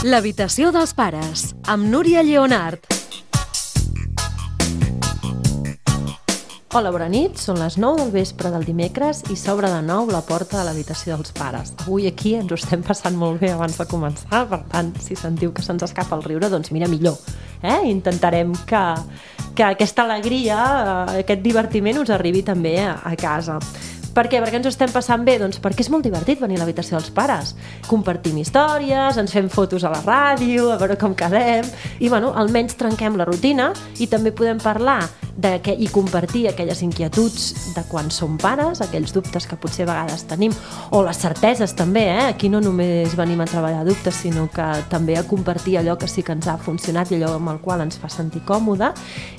L'habitació dels pares, amb Núria Lleonart. Hola, bona nit, són les 9 del vespre del dimecres i s'obre de nou la porta de l'habitació dels pares. Avui aquí ens ho estem passant molt bé abans de començar, per tant, si sentiu que se'ns escapa el riure, doncs mira, millor. Intentarem que aquesta alegria, aquest divertiment us arribi també a casa. Per què? Perquè ens ho estem passant bé? Doncs perquè és molt divertit venir a l'habitació dels pares. Compartim històries, ens fem fotos a la ràdio, a veure com quedem, i almenys trenquem la rutina i també podem parlar i compartir aquelles inquietuds de quan som pares, aquells dubtes que potser a vegades tenim, o les certeses també, Aquí no només venim a treballar dubtes, sinó que també a compartir allò que sí que ens ha funcionat i allò amb el qual ens fa sentir còmode,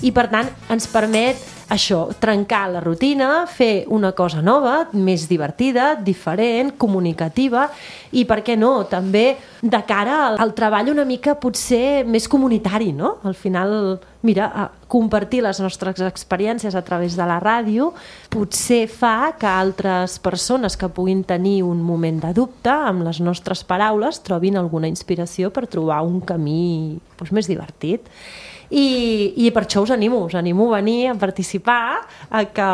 i per tant ens permet això, trencar la rutina, fer una cosa nova, més divertida, diferent, comunicativa, i per què no, també de cara al treball una mica potser més comunitari, no? Al final, mira, compartir les nostres experiències a través de la ràdio potser fa que altres persones que puguin tenir un moment de dubte amb les nostres paraules trobin alguna inspiració per trobar un camí més divertit. I per això us animo a venir a participar, a que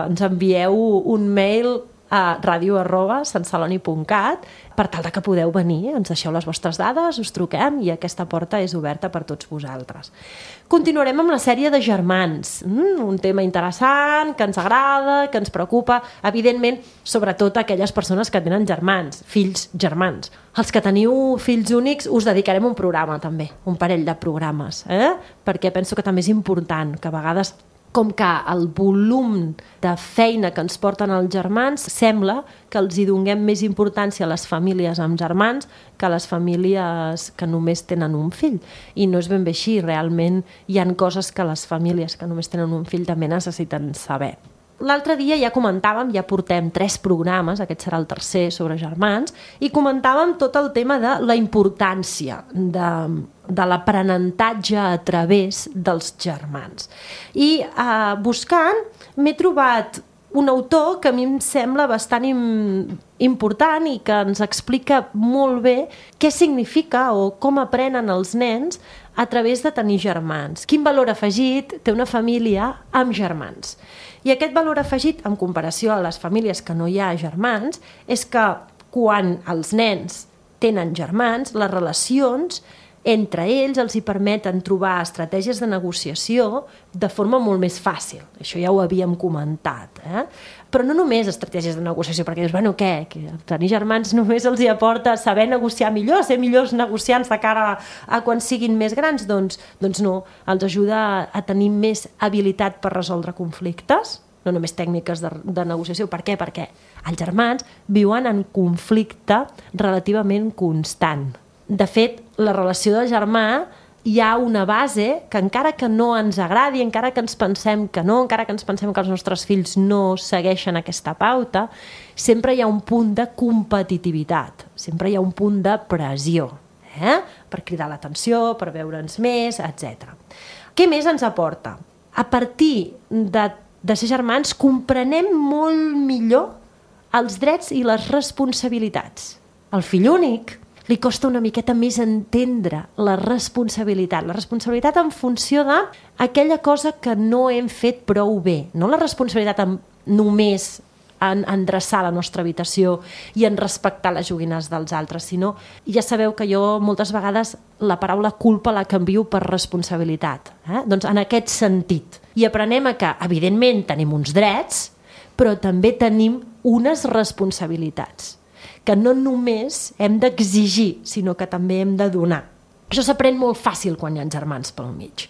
ens envieu un mail a radio@santceloni.cat per tal que podeu venir, ens deixeu les vostres dades, us truquem i aquesta porta és oberta per tots vosaltres. Continuarem amb la sèrie de germans, un tema interessant, que ens agrada, que ens preocupa, evidentment, sobretot aquelles persones que tenen germans, fills germans. Els que teniu fills únics us dedicarem un programa també, un parell de programes, perquè penso que també és important que a vegades, com que el volum de feina que ens porten els germans sembla que els hi donem més importància a les famílies amb germans que a les famílies que només tenen un fill. I no és ben bé així, realment hi ha coses que les famílies que només tenen un fill també necessiten saber. L'altre dia ja comentàvem, ja portem 3 programes, aquest serà el tercer sobre germans, i comentàvem tot el tema de la importància de l'aprenentatge a través dels germans. I buscant m'he trobat un autor que a mi em sembla bastant important i que ens explica molt bé què significa o com aprenen els nens a través de tenir germans. Quin valor afegit té una família amb germans? I aquest valor afegit, en comparació a les famílies que no hi ha germans, és que quan els nens tenen germans, les relacions entre ells els hi permeten trobar estratègies de negociació de forma molt més fàcil. Això ja ho havíem comentat. Però no només estratègies de negociació, perquè dius, què? Que tenir germans només els hi aporta saber negociar millor, ser millors negociants de cara a quan siguin més grans? Doncs no, els ajuda a tenir més habilitat per resoldre conflictes, no només tècniques de negociació. Per què? Perquè els germans viuen en conflicte relativament constant. De fet, la relació de germà hi ha una base que encara que no ens agradi, encara que ens pensem que no, encara que ens pensem que els nostres fills no segueixen aquesta pauta, sempre hi ha un punt de competitivitat, sempre hi ha un punt de pressió, per cridar l'atenció, per veure'ns més, etc. Què més ens aporta? A partir de ser germans comprenem molt millor els drets i les responsabilitats. El fill únic li costa una miqueta més entendre la responsabilitat en funció d'aquella cosa que no hem fet prou bé, no la responsabilitat només en endreçar la nostra habitació i en respectar les joguines dels altres, sinó, ja sabeu que jo moltes vegades la paraula culpa la canvio per responsabilitat, doncs en aquest sentit. I aprenem que, evidentment, tenim uns drets, però també tenim unes responsabilitats que no només hem d'exigir, sinó que també hem de donar. Això s'aprèn molt fàcil quan hi ha germans pel mig.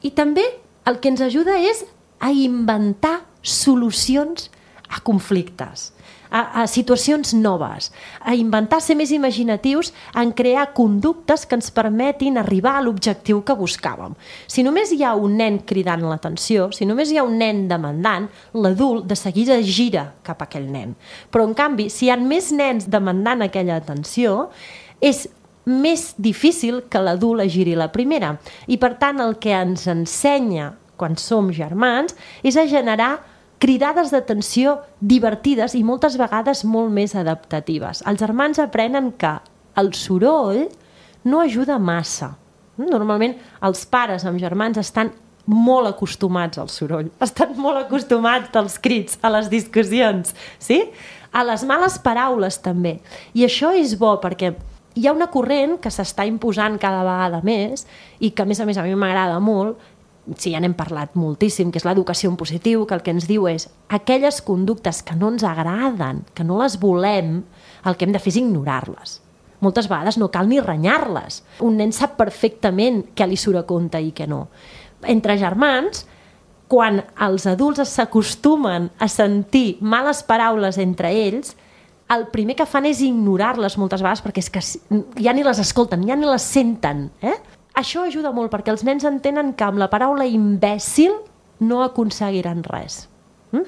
I també el que ens ajuda és a inventar solucions a conflictes, a situacions noves, a inventar, ser més imaginatius, en crear conductes que ens permetin arribar a l'objectiu que buscàvem. Si només hi ha un nen cridant l'atenció, si només hi ha un nen demandant, l'adult de seguida gira cap a aquell nen. Però, en canvi, si hi ha més nens demandant aquella atenció, és més difícil que l'adult giri la primera. I, per tant, el que ens ensenya quan som germans és a generar cridades d'atenció divertides i moltes vegades molt més adaptatives. Els germans aprenen que el soroll no ajuda massa. Normalment els pares amb germans estan molt acostumats al soroll, estan molt acostumats als crits, a les discussions, sí? A les males paraules també. I això és bo perquè hi ha una corrent que s'està imposant cada vegada més i que a més a mi m'agrada molt, sí, ja n'hem parlat moltíssim, que és l'educació en positiu, que el que ens diu és aquelles conductes que no ens agraden, que no les volem, el que hem de fer és ignorar-les. Moltes vegades no cal ni renyar-les. Un nen sap perfectament què li surt a compte i què no. Entre germans, quan els adults s'acostumen a sentir males paraules entre ells, el primer que fan és ignorar-les moltes vegades perquè és que ja ni les escolten, ja ni les senten. Això ajuda molt perquè els nens entenen que amb la paraula imbècil no aconseguiran res.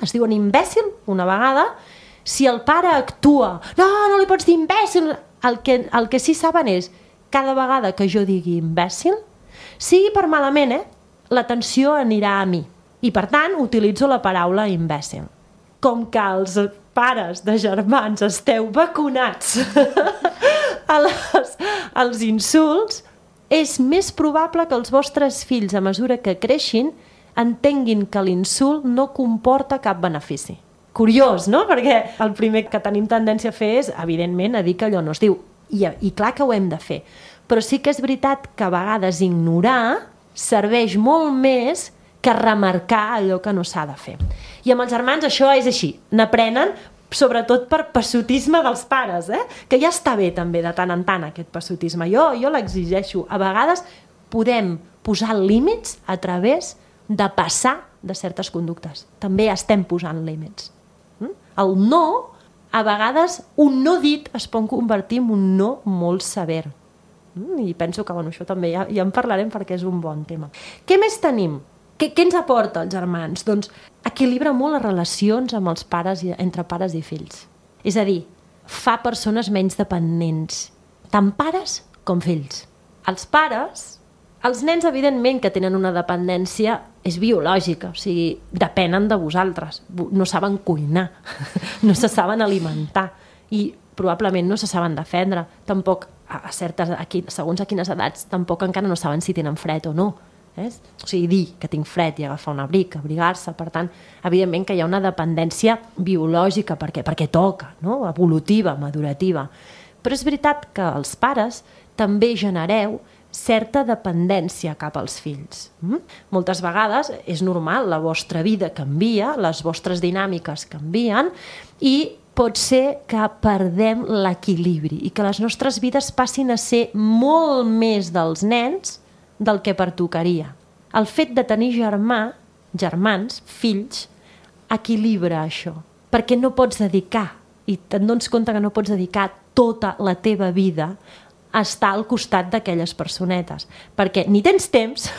Es diuen imbècil una vegada, si el pare actua, no li pots dir imbècil, el que sí saben és cada vegada que jo digui imbècil, sigui per malament, l'atenció anirà a mi. I per tant utilitzo la paraula imbècil. Com que els pares de germans esteu vacunats als insults, és més probable que els vostres fills, a mesura que creixin, entenguin que l'insult no comporta cap benefici. Curiós, no? Perquè el primer que tenim tendència a fer és, evidentment, a dir que allò no es diu. I clar que ho hem de fer. Però sí que és veritat que a vegades ignorar serveix molt més que remarcar allò que no s'ha de fer. I amb els germans això és així. N'aprenen, sobretot per passotisme dels pares, que ja està bé també de tant en tant aquest passotisme. Jo l'exigeixo. A vegades podem posar límits a través de passar de certes conductes. També estem posant límits. El no, a vegades un no dit es pot convertir en un no molt sever. I penso que això també ja en parlarem perquè és un bon tema. Què més tenim? Què ens aporta els germans? Doncs equilibra molt les relacions amb els pares, entre pares i fills. És a dir, fa persones menys dependents, tant pares com fills. Els pares, els nens evidentment que tenen una dependència és biològica, o sigui, depenen de vosaltres, no saben cuinar, no se saben alimentar i probablement no se saben defendre, tampoc segons a quines edats, tampoc encara no saben si tenen fred o no. O sigui, dir que tinc fred i agafar un abric, abrigar-se, per tant, evidentment que hi ha una dependència biològica perquè toca, no? Evolutiva, madurativa. Però és veritat que els pares també genereu certa dependència cap als fills. Moltes vegades és normal, la vostra vida canvia, les vostres dinàmiques canvien i pot ser que perdem l'equilibri i que les nostres vides passin a ser molt més dels nens del que pertocaria. El fet de tenir germans, fills, equilibra això, perquè no pots dedicar, i te'n dones compte que no pots dedicar tota la teva vida a estar al costat d'aquelles personetes, perquè ni tens temps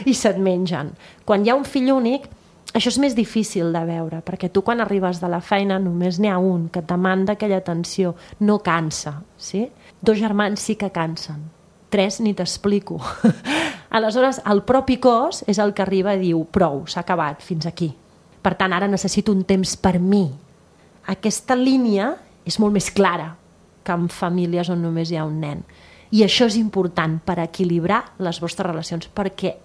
i se't mengen. Quan hi ha un fill únic, això és més difícil de veure, perquè tu quan arribes de la feina només n'hi ha un que et demanda aquella atenció, no cansa, sí? 2 germans sí que cansen, 3 ni t'explico. Aleshores, el propi cos és el que arriba i diu prou, s'ha acabat, fins aquí. Per tant, ara necessito un temps per mi. Aquesta línia és molt més clara que en famílies on només hi ha un nen. I això és important per equilibrar les vostres relacions, perquè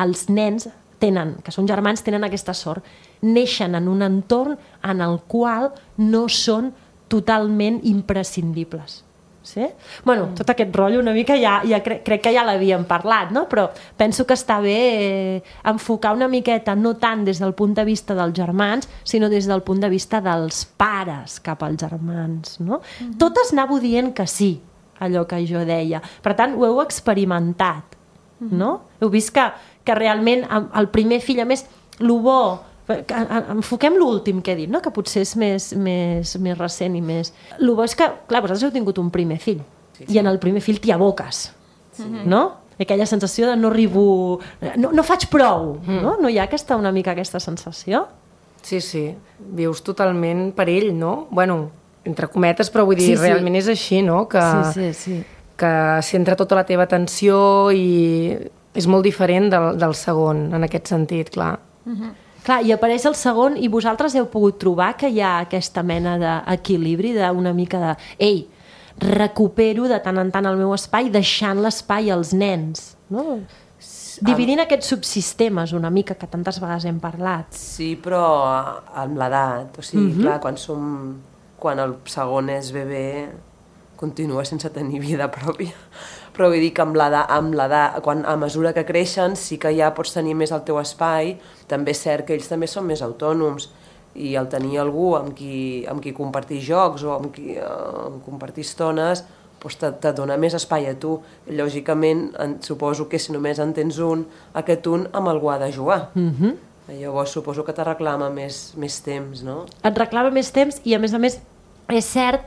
els nens que són germans, tenen aquesta sort. Neixen en un entorn en el qual no són totalment imprescindibles. Sí? Bueno, tot aquest rotllo una mica crec que ja l'havíem parlat, no? Però penso que està bé enfocar una miqueta, no tant des del punt de vista dels germans, sinó des del punt de vista dels pares cap als germans, no? Totes anàveu dient que sí, allò que jo deia. Per tant, ho heu experimentat, no? Heu vist que realment el primer fill, a més, lo bo, enfoquem l'últim que he dit, no? Que potser és més recent i més... El bo és que, clar, vosaltres heu tingut un primer fill i en el primer fill t'hi aboques, no? Aquella sensació de no arribo... No faig prou, no? No hi ha una mica aquesta sensació? Sí, vius totalment per ell, no? Bueno, entre cometes, però vull dir, realment és així, no? Que centra tota la teva atenció i és molt diferent del segon, en aquest sentit, clar. Clar, i apareix el segon i vosaltres heu pogut trobar que hi ha aquesta mena d'equilibri, d'una mica de... Ei, recupero de tant en tant el meu espai, deixant l'espai als nens, no? Dividint aquests subsistemes una mica, que tantes vegades hem parlat. Sí, però amb l'edat, o sigui, clar, quan el segon és bebè, continua sense tenir vida pròpia. Però vull dir que amb l'edat, a mesura que creixen, sí que ja pots tenir més el teu espai. També és cert que ells també són més autònoms, i el tenir algú amb qui compartir jocs o amb qui compartir estones, doncs te dona més espai a tu. Lògicament, suposo que si només en tens un, aquest un amb algú ha de jugar. Llavors suposo que te reclama més temps, no? Et reclama més temps i, a més, és cert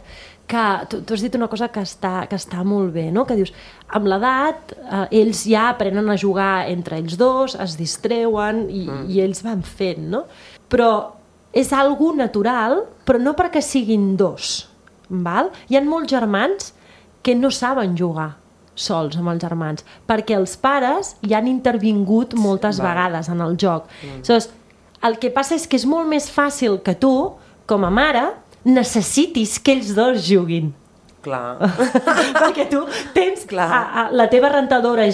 que tu has dit una cosa que està molt bé, no? Que dius, amb l'edat ells ja aprenen a jugar entre ells dos, es distreuen i ells van fent, no? Però és algo natural, però no perquè siguin dos, val? Hi ha molts germans que no saben jugar sols amb els germans, perquè els pares hi han intervingut moltes vegades en el joc. Aleshores, el que passa és que és molt més fàcil que tu, com a mare, necessitis que ells dos juguin. Clar. Perquè tu tens la teva rentadora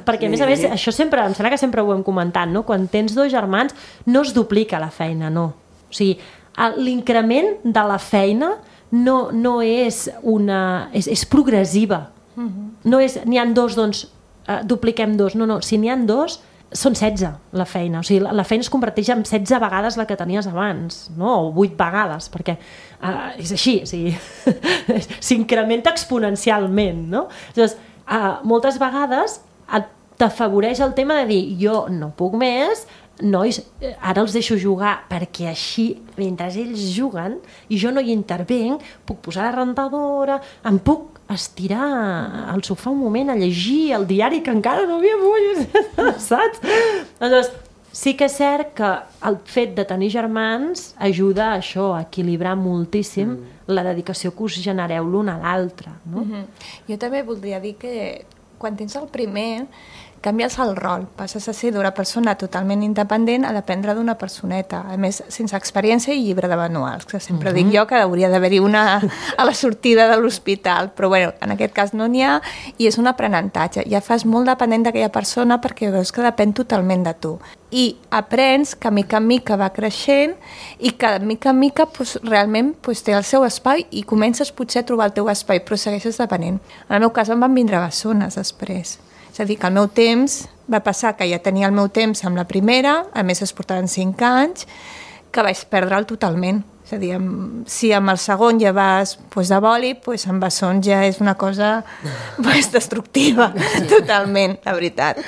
perquè a més això sempre, em sembla que sempre ho hem comentat, no? Quan tens dos germans no es duplica la feina, no. O sigui, l'increment de la feina no és és progressiva. No és, n'hi ha dos, doncs dupliquem dos. No, si n'hi ha dos, són 16 la feina. O sigui, la feina es converteix en 16 vegades la que tenies abans, no? O 8 vegades, perquè és així, o sigui, s'incrementa exponencialment, no? Llavors, moltes vegades t'afavoreix el tema de dir, jo no puc més, nois, ara els deixo jugar perquè així, mentre ells juguen i jo no hi intervenc, puc posar la rentadora, em puc estirar al sofà un moment a llegir el diari que encara no havia vist, saps? Llavors, sí que és cert que el fet de tenir germans ajuda a això, a equilibrar moltíssim la dedicació que us genereu l'un a l'altre, no? Jo també voldria dir que quan tens el primer canvies el rol, passes a ser d'una persona totalment independent a dependre d'una personeta, a més sense experiència i llibre de manuals, que sempre dic jo que hauria d'haver-hi una a la sortida de l'hospital, però bueno, en aquest cas no n'hi ha i és un aprenentatge, ja fas molt dependent d'aquella persona perquè veus que depèn totalment de tu i aprens que mica en mica va creixent i que mica en mica realment té el seu espai i comences potser a trobar el teu espai, però segueixes depenent. En el meu cas em van vindre bessones després. És a dir, que el meu temps va passar que ja tenia el meu temps amb la primera, a més es portaven 5 anys, que vaig perdre'l totalment. És a dir, si amb el segon ja vas de boli, amb bessons ja és una cosa destructiva, totalment, la veritat.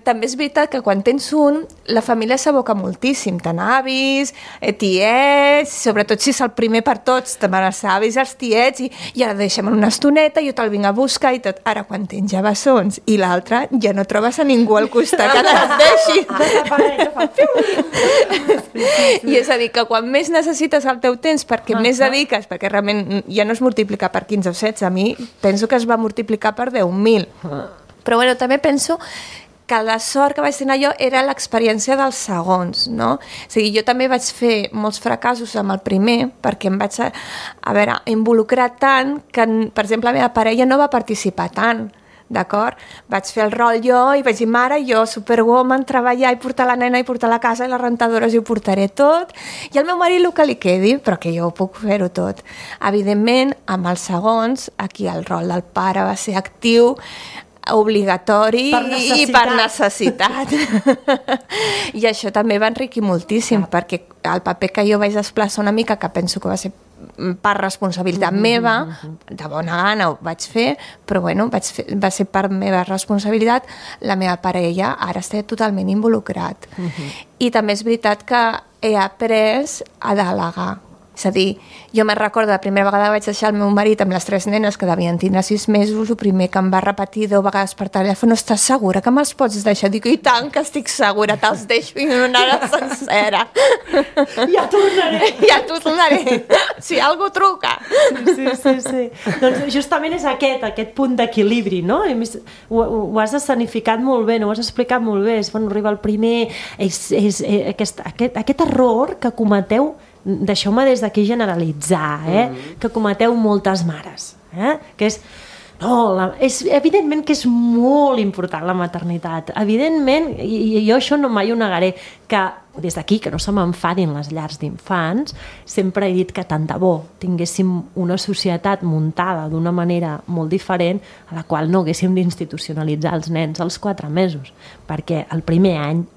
També és veritat que quan tens un, la família s'aboca moltíssim, tant avis, tiets, sobretot si és el primer per tots, també els avis, els tiets, i ara deixem una estoneta, jo te'l vinc a buscar i tot. Ara, quan tens ja bessons i l'altre, ja no trobes a ningú al costat que te'ls deixi. I és a dir, que quan més necessites el teu temps perquè més dediques, perquè realment ja no es multiplica per 15 o 16, a mi penso que es va multiplicar per 10.000. Però bueno, també penso que la sort que vaig tenir jo era l'experiència dels segons, no? O sigui, jo també vaig fer molts fracassos amb el primer perquè em vaig involucrar tant que, per exemple, la meva parella no va participar tant. D'acord? Vaig fer el rol jo i vaig dir, mare, jo, superwoman, treballar i portar la nena i portar la casa i les rentadores i ho portaré tot. I al meu marit el que li quedi, però que jo ho puc fer-ho tot. Evidentment, amb els segons, aquí el rol del pare va ser actiu, obligatori i per necessitat. I això també va enriquir moltíssim, perquè el paper que jo vaig desplaçar una mica, que penso que va ser per responsabilitat meva, de bona gana ho vaig fer, però bueno, va ser per meva responsabilitat, la meva parella ara està totalment involucrat. I també és veritat que he après a delegar. És a dir, jo me'n recordo la primera vegada que vaig deixar el meu marit amb les 3 nenes que devien tindre 6 mesos, el primer que em va repetir 10 vegades per telèfon, estàs segura que me'ls pots deixar? Dic, i tant que estic segura, te'ls deixo i una hora sencera. Ja tornaré. Ja tornaré. Si algú truca. Sí. Doncs justament és aquest punt d'equilibri, no? I més, ho has escenificat molt bé, ho has explicat molt bé. Arriba el primer, aquest error que cometeu deixeu-me des d'aquí generalitzar, que cometeu moltes mares, que és... No, evidentment que és molt important la maternitat. Evidentment, i jo això no mai ho negaré, que des d'aquí, que no se m'enfadin les llars d'infants, sempre he dit que tant de bo tinguéssim una societat muntada d'una manera molt diferent a la qual no haguéssim d'institucionalitzar els nens als 4 mesos, perquè el primer any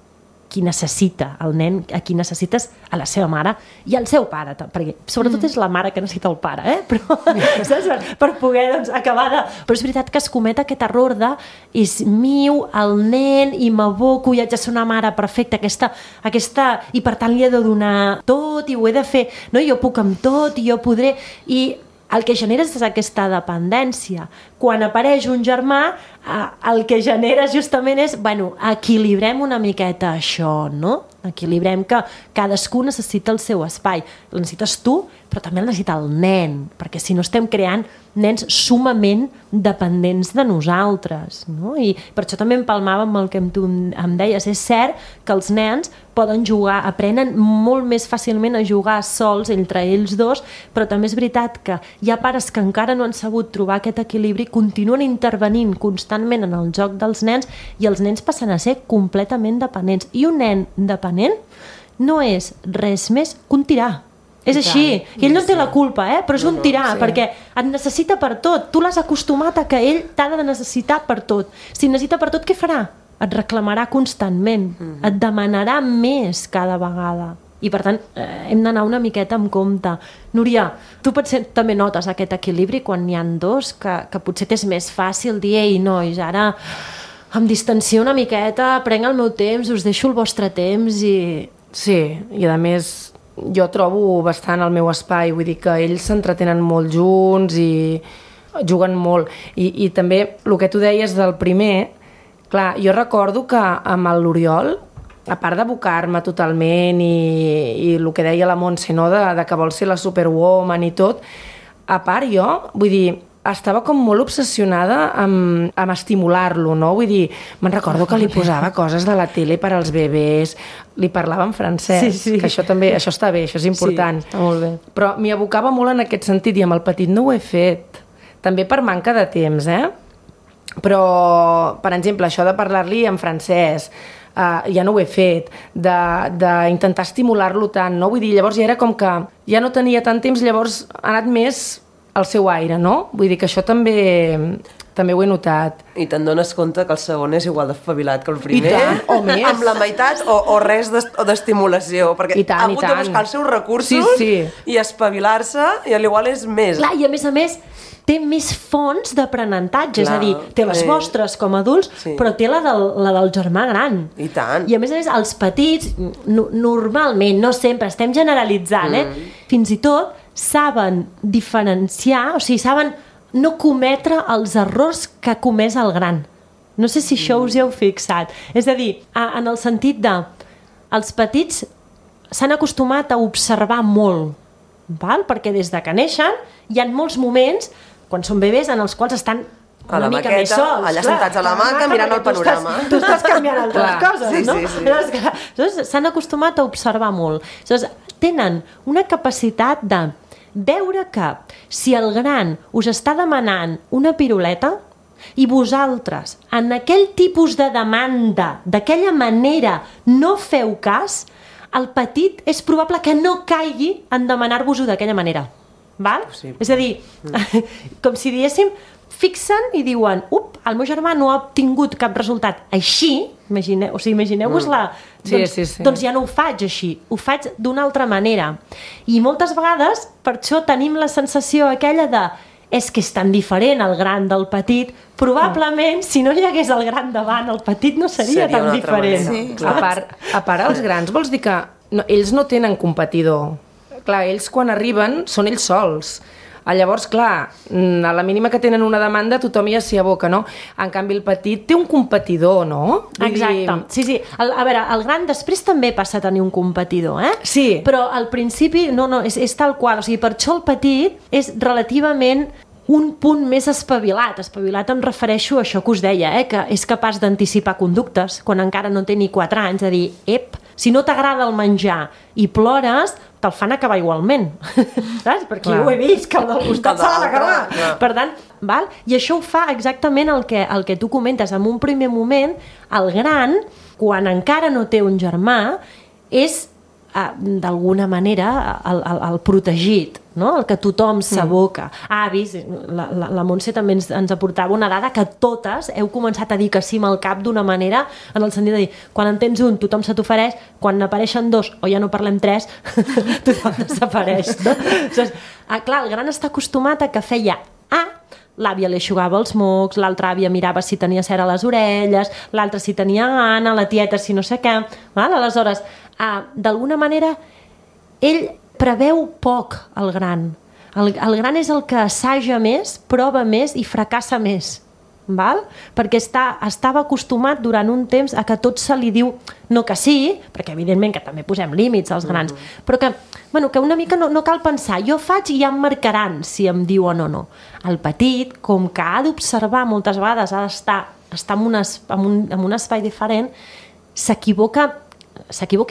qui necessita el nen, a qui necessites a la seva mare i al seu pare, perquè sobretot és la mare que necessita el pare, però saps? Per poder acabar de... Però és veritat que es comet aquest error de és miu el nen i m'aboco i haig de ser una mare perfecta, aquesta i per tant li he de donar tot i ho he de fer, no? Jo puc amb tot i jo podré... I el que genera és aquesta dependència. Quan apareix un germà, el que genera justament és, equilibrem una miqueta això, no? Equilibrem que cadascú necessita el seu espai. El necessites tu, però també el necessita el nen, perquè si no estem creant nens sumament dependents de nosaltres, no? I per això també empalmava amb el que tu em deies. És cert que els nens poden jugar, aprenen molt més fàcilment a jugar sols entre ells dos, però també és veritat que hi ha pares que encara no han sabut trobar aquest equilibri, continuen intervenint constantment en el joc dels nens i els nens passen a ser completament dependents. I un nen dependent no és res més que un tirà. És així, i ell no té la culpa, però és un tirà, perquè et necessita per tot. Tu l'has acostumat a que ell t'ha de necessitar per tot. Si necessita per tot, què farà? Et reclamarà constantment, et demanarà més cada vegada. I per tant, hem d'anar una miqueta amb compte. Núria, tu potser també notes aquest equilibri quan n'hi ha dos, que potser t'és més fàcil dir, ei, nois, ara em distancio una miqueta, prenc el meu temps, us deixo el vostre temps i... Sí, i a més jo trobo bastant el meu espai, vull dir que ells s'entretenen molt junts i juguen molt. I també el que tu deies del primer, clar, jo recordo que amb l'Oriol, a part d'abocar-me totalment i el que deia la Montse, no? de que vol ser la superwoman i tot, a part jo, vull dir, estava com molt obsessionada amb estimular-lo, no? Vull dir, me'n recordo que li posava coses de la tele per als bebès, li parlava en francès, que això també, això està bé, això és important. Sí, està molt bé. Però m'hi abocava molt en aquest sentit i amb el petit no ho he fet. També per manca de temps, Però, per exemple, això de parlar-li en francès, ja no ho he fet, d'intentar estimular-lo tant, no? Vull dir, llavors ja era com que ja no tenia tant temps, llavors ha anat més al seu aire, no? Vull dir que això també ho he notat. I te'n dones compte que el segon és igual d'espavilat que el primer? I tant, o més. Amb la meitat o res d'estimulació, perquè ha hagut de buscar els seus recursos i espavilar-se, i a l'igual és més. Clar, i a més, té més fonts d'aprenentatge, és a dir, té les vostres com a adults, però té la del germà gran. I tant. I a més, els petits, normalment, no sempre, estem generalitzant, fins i tot saben diferenciar, o sigui, saben no cometre els errors que ha comès el gran. No sé si això us hi heu fixat. És a dir, en el sentit de els petits s'han acostumat a observar molt, perquè des de que neixen hi ha molts moments, quan són bebès, en els quals estan a la maqueta, allà sentats a la maca mirant el panorama. Tu estàs canviant altres coses, no? Llavors, s'han acostumat a observar molt. Llavors, tenen una capacitat de veure que si el gran us està demanant una piruleta i vosaltres en aquell tipus de demanda, d'aquella manera, no feu cas, el petit és probable que no caigui en demanar-vos-ho d'aquella manera. Val? És a dir, com si diguéssim, fixen i diuen, el meu germà no ha obtingut cap resultat així, imagineu-vos-la, doncs ja no ho faig així, ho faig d'una altra manera. I moltes vegades, per això tenim la sensació aquella de és que és tan diferent el gran del petit, probablement si no hi hagués el gran davant, el petit no seria tan diferent. A part, els grans vols dir que ells no tenen competidor. Clar, ells quan arriben són ells sols. Llavors, clar, a la mínima que tenen una demanda tothom ja s'hi aboca, no? En canvi, el petit té un competidor, no? Exacte. Sí. A veure, el gran després també passa a tenir un competidor, Sí. Però al principi, no, és tal qual. O sigui, per això el petit és relativament un punt més espavilat. Espavilat em refereixo a això que us deia, que és capaç d'anticipar conductes quan encara no té ni 4 anys, de dir, si no t'agrada el menjar i plores, te'l fan acabar igualment. Saps? Perquè jo ho he vist, que el del costat s'ha d'acabar. Per tant, val? I això ho fa exactament el que tu comentes. En un primer moment, el gran, quan encara no té un germà, és d'alguna manera el protegit, no? El que tothom s'aboca. Avis, la Montse també ens aportava una dada que totes heu començat a dir que sí amb el cap d'una manera, en el sentit de dir, quan en tens un, tothom se t'ofereix, quan n'apareixen 2, o ja no parlem 3, tothom desapareix. No? Clar, el gran està acostumat a que feia l'àvia li eixugava els mocs, l'altra àvia mirava si tenia cera a les orelles, l'altra si tenia gana, la tieta si no sé què. Aleshores, d'alguna manera, ell preveu poc el gran. El gran és el que assaja més, prova més i fracassa més. Val? Perquè estava acostumat durant un temps a que tot se li diu no que sí, perquè evidentment que també posem límits als grans, però que una mica no cal pensar, jo faig i ja em marcaran si em diuen o no. El petit, com que ha d'observar moltes vegades, ha d'estar en un espai diferent, s'equivoca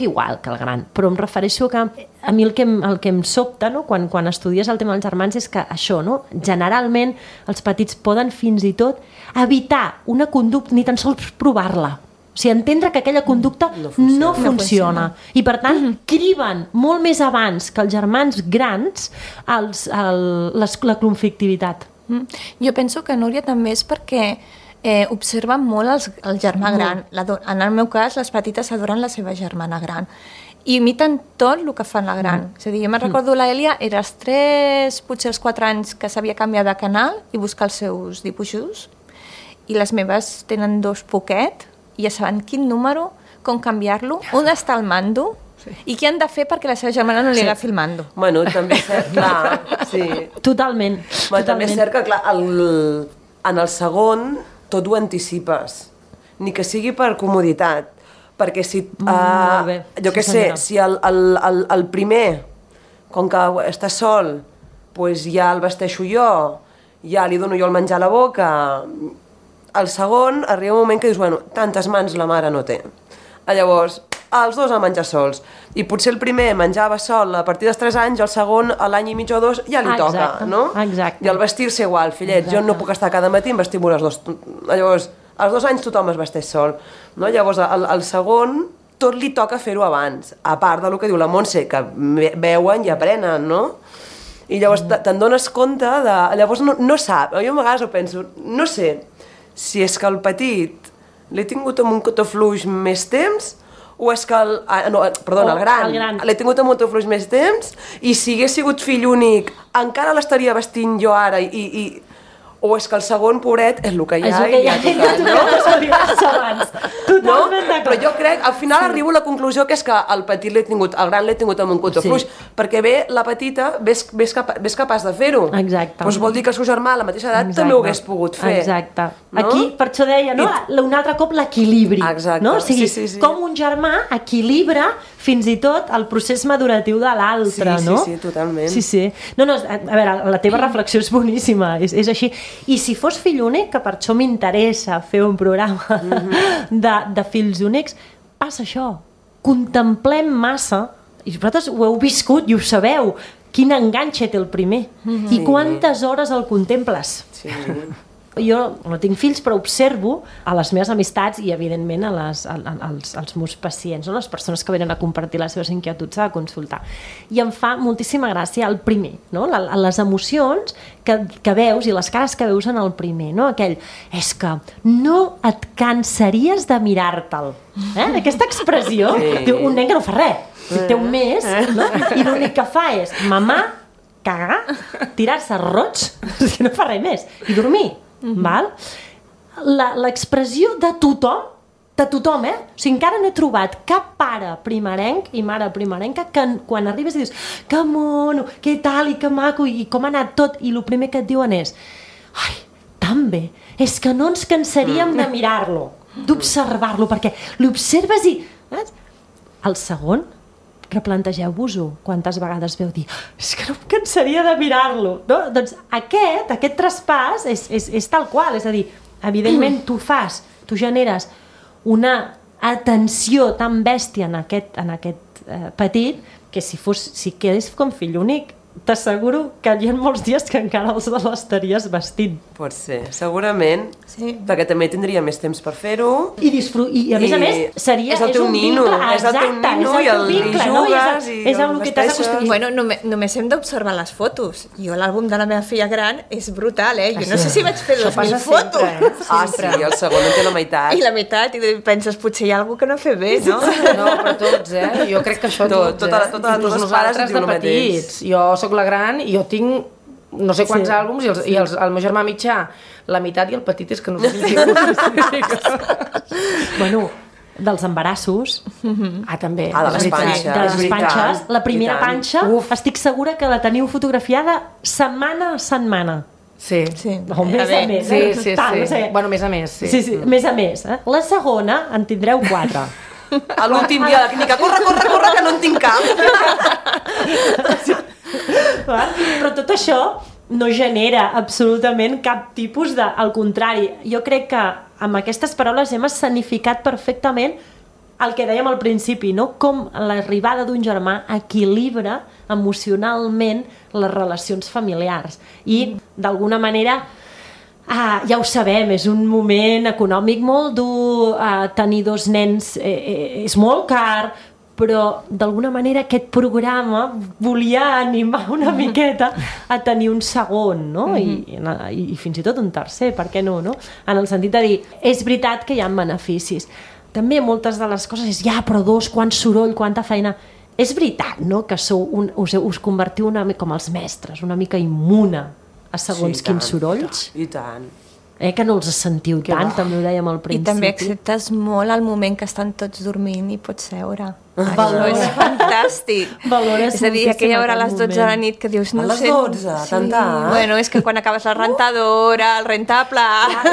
igual que el gran, però em refereixo que a mi el que em sobta, no? quan estudies el tema dels germans és que això, no? Generalment els petits poden fins i tot evitar una conducta, ni tan sols provar-la, o sigui, entendre que aquella conducta no funciona. I per tant criben molt més abans que els germans grans la conflictivitat. Jo penso que, Núria, també és perquè observen molt el germà gran. En el meu cas, les petites adoren la seva germana gran i imiten tot el que fan la gran. És a dir, jo me'n recordo l'Èlia, era els 3, potser els 4 anys que s'havia canviat de canal i buscar els seus dibuixos, i les meves tenen 2 poquet i ja saben quin número, com canviar-lo, on està el mando i què han de fer perquè la seva germana no li agafi el mando. Bueno, també és cert, clar, sí. Totalment. També és cert que, clar, en el segon tot ho anticipes, ni que sigui per comoditat, perquè si, jo què sé, si el primer, com que està sol, doncs ja el vesteixo jo, ja li dono jo el menjar a la boca, el segon arriba un moment que dius, bueno, tantes mans la mare no té. Llavors, els 2 a menjar sols. I potser el primer menjava sol a partir dels 3 anys, el segon a l'any i mig o 2 ja li toca, no? Exacte. I el vestir-se igual, fillet, jo no puc estar cada matí en vestir-me les 2. Llavors, als 2 anys tothom es vesteix sol. No? Llavors, al segon, tot li toca fer-ho abans, a part del que diu la Montse, que veuen i aprenen, no? I llavors te'n dones compte de... Llavors no sap, jo a vegades ho penso, no sé si és que el petit l'he tingut amb un cotó fluix més temps o és que el gran l'he tingut amb un cotó fluix més temps i si hagués sigut fill únic encara l'estaria vestint jo ara o és que el segon pobret és el que hi ha i ja ha tocat, no? Totalment d'acord. Però jo crec, al final arribo a la conclusió que és que el petit el gran l'he tingut amb un cotó fluix, perquè la petita ves capaç de fer-ho. Exacte. Doncs vol dir que el seu germà a la mateixa edat també ho hagués pogut fer. Exacte. Aquí, per això deia, no? Un altre cop l'equilibri. Exacte. O sigui, com un germà equilibra fins i tot el procés maduratiu de l'altre, no? Sí, totalment. Sí. No, a veure, la teva reflexió és boníssima, és així. I si fos fill únic, que per això m'interessa fer un programa de fills únics, passa això. Contemplem massa, i vosaltres ho heu viscut i ho sabeu, quin enganxe té el primer. I quantes hores el contemples. Sí. Jo no tinc fills, però observo a les meves amistats i, evidentment, als meus pacients, no? Les persones que venen a compartir les seves inquietuds a consultar. I em fa moltíssima gràcia el primer, no? Les emocions que veus i les cares que veus en el primer, no? Aquell, és que no et cansaries de mirar-te'l. Aquesta expressió, diu, un nen que no fa res, té un mes, no? I l'únic que fa és mamar, cagar, tirar-se roig, no fa res més, i dormir. Val? L'expressió de tothom, o sigui, encara no he trobat cap pare primerenc i mare primerenca que quan arribes i dius que mono, què tal i que maco i com ha anat tot, i el primer que et diuen és ai, tan bé, és que no ens cansaríem de mirar-lo, d'observar-lo, perquè l'observes i... El segon, replantegeu-vos-ho. Quantes vegades veu dir és que no em cansaria de mirar-lo, no? Doncs aquest traspàs és tal qual, és a dir, evidentment tu generes una atenció tan bèstia en aquest petit que si quedés com fill únic t'asseguro que hi ha molts dies que encara l'estaries vestint. Pot ser, segurament, perquè també tindria més temps per fer-ho. I a més, seria... És el teu nino, és el teu nino i jugues i és el que t'has acostumat. Bueno, només hem d'observar les fotos. Jo l'àlbum de la meva filla gran és brutal, Jo no sé si vaig fer 2.000 fotos. Sí, el segon en té la meitat. I la meitat, i penses, potser hi ha alguna cosa que no he fet bé, no? No, però tots, Jo crec que això tots, Totes les pares diuen el mateix. Jo soc la gran i jo tinc no sé quants àlbums i el meu germà mitjà la meitat i el petit és que no sé si bueno, dels embarassos també de les panxes, la primera panxa estic segura que la teniu fotografiada setmana a setmana. Sí. O més a més. Sí. Bueno, més a més, sí. Sí, més a més. La segona en tindreu 4. A l'últim dia de la clínica, corre, que no en tinc cap. Però tot això no genera absolutament cap tipus de... Al contrari, jo crec que amb aquestes paraules hem escenificat perfectament el que dèiem al principi, no? Com l'arribada d'un germà equilibra emocionalment les relacions familiars. I, d'alguna manera, ja ho sabem, és un moment econòmic molt dur, tenir 2 nens és molt car, però d'alguna manera aquest programa volia animar una miqueta a tenir un segon, no? I fins i tot un tercer, per què no? En el sentit de dir, és veritat que hi ha beneficis. També moltes de les coses és, però 2, quant soroll, quanta feina. És veritat, no?, que us convertiu una mica com els mestres, una mica immuna a segons quins sorolls. I tant. Que no els sentiu tant, també ho dèiem al principi. I també acceptes molt el moment que estan tots dormint i pots seure. Això és fantàstic. Valores és a dir, aquella hora a les 12 de la nit que dius... A les 12? Tant. Bueno, és que quan acabes la rentadora, el rentable...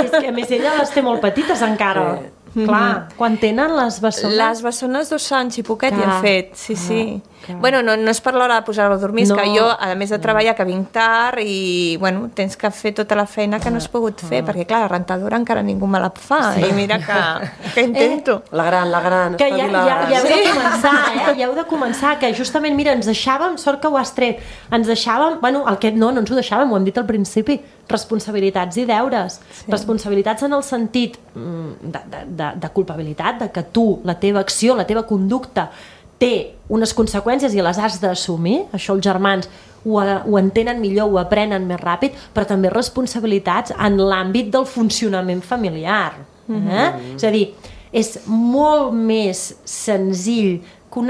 És que a més ella les té molt petites encara. Clar, quan tenen les bessones... Les bessones 2 anys i poquet hi han fet, sí. Bueno, no és per l'hora de posar-lo a dormir, és que jo, a més de treballar, que vinc tard i, bueno, tens que fer tota la feina que no has pogut fer, perquè, clar, la rentadora encara ningú me la fa, i mira que intento. La gran, que ja heu de començar, ja heu de començar, que justament, mira, ens deixàvem, sort que ho has tret, ens deixàvem, bueno, no ens ho deixàvem, ho hem dit al principi, responsabilitats i deures. Responsabilitats en el sentit de culpabilitat, de que tu, la teva acció, la teva conducta té unes conseqüències i les has d'assumir. Això els germans ho entenen millor, ho aprenen més ràpid, però també responsabilitats en l'àmbit del funcionament familiar. És a dir, és molt més senzill que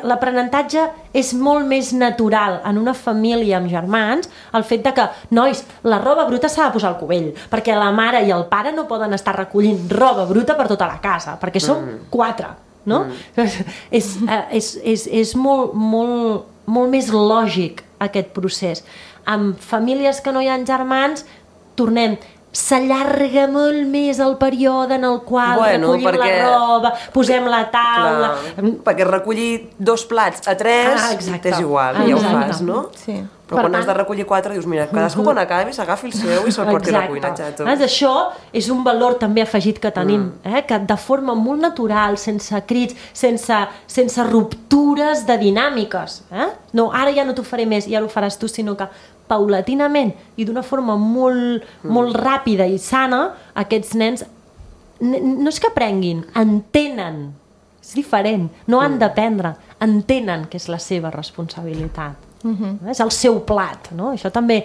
l'aprenentatge és molt més natural en una família amb germans, el fet de que, nois, la roba bruta s'ha de posar al cubell, perquè la mare i el pare no poden estar recollint roba bruta per tota la casa, perquè som 4, no? És molt més lògic aquest procés. Amb famílies que no hi ha germans, s'allarga molt més el període en el qual recollim la roba, posem la taula... Perquè recollir 2 plats a 3 és igual, ja ho fas, no? Sí. Però quan has de recollir 4 dius, mira, cadascú quan acabi s'agafi el seu i se'l porti a la cuina. Això és un valor també afegit que tenim, que de forma molt natural, sense crits, sense ruptures de dinàmiques. No, ara ja no t'ho faré més, ja ho faràs tu, sinó que paulatinament i d'una forma molt ràpida i sana, aquests nens no és que aprenguin, entenen. És diferent, no han d'aprendre, entenen que és la seva responsabilitat. És el seu plat, no? Això també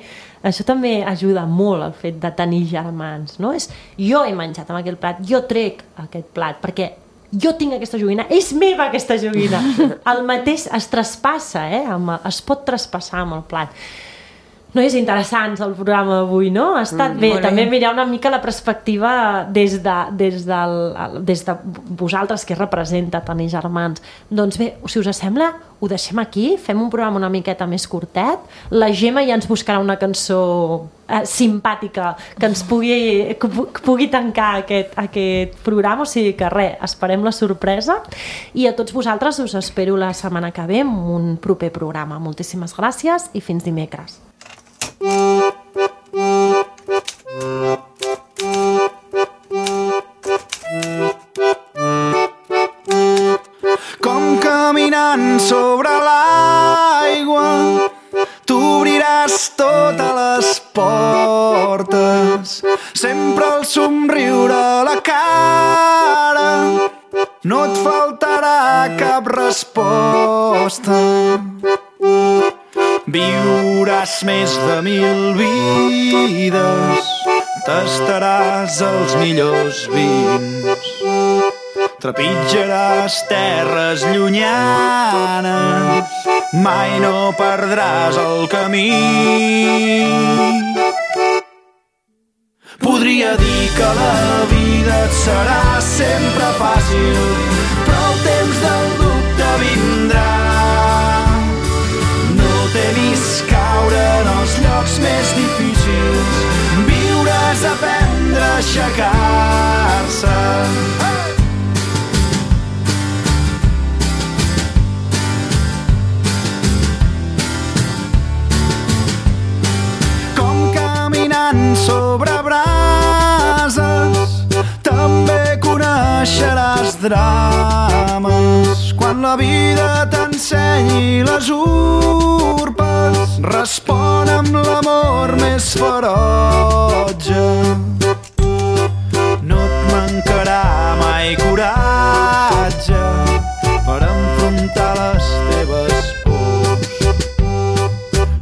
ajuda molt el fet de tenir germans, no? Jo he menjat amb aquell plat, jo trec aquest plat perquè jo tinc aquesta joguina, és meva aquesta joguina. El mateix es traspassa, es pot traspassar amb el plat. és interessant el programa d'avui, no? Ha estat bé, també mirar una mica la perspectiva des de vosaltres, que representa tenir germans. Doncs bé, si us sembla, ho deixem aquí, fem un programa una miqueta més curtet, la Gemma ja ens buscarà una cançó simpàtica que ens pugui tancar aquest programa, o sigui que res, esperem la sorpresa i a tots vosaltres us espero la setmana que ve amb un proper programa. Moltíssimes gràcies i fins dimecres. Com caminant sobre l'aigua t'obriràs totes les portes, sempre el somriure a la cara, no et faltarà cap resposta. Viuràs més de 1000 vides, tastaràs els millors vins, trepitjaràs terres llunyanes, mai no perdràs el camí. Podria dir que la vida et serà sempre fàcil, però el temps del dubte vindrà. Temis caure en els llocs més difícils, viuràs a aprendre a aixecar-se. Com caminant sobre brases, també coneixeràs drames. Quan la vida t'ensenyi les urpes, respon amb l'amor més ferotge. No et mancarà mai coratge per enfrontar les teves pors.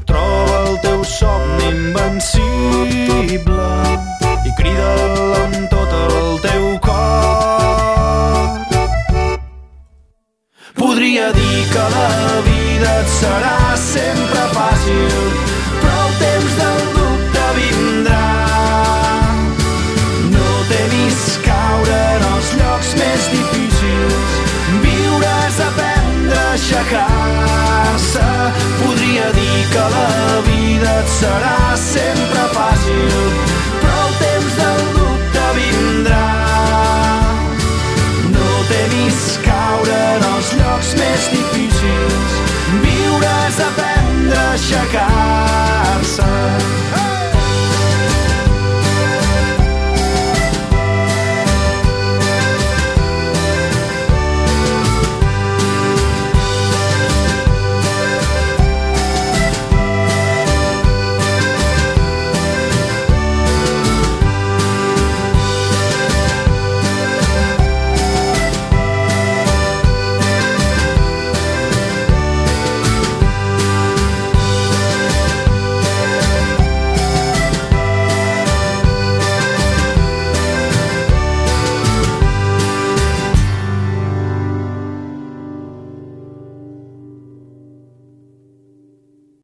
Troba el teu somni invencible i crida'l amb tot el teu cor. Podria dir que la vida et serà sempre fàcil, però el temps del dubte vindrà. No temis caure en els llocs més difícils, viuràs a aprendre a aixecar-se. Podria dir que la vida et serà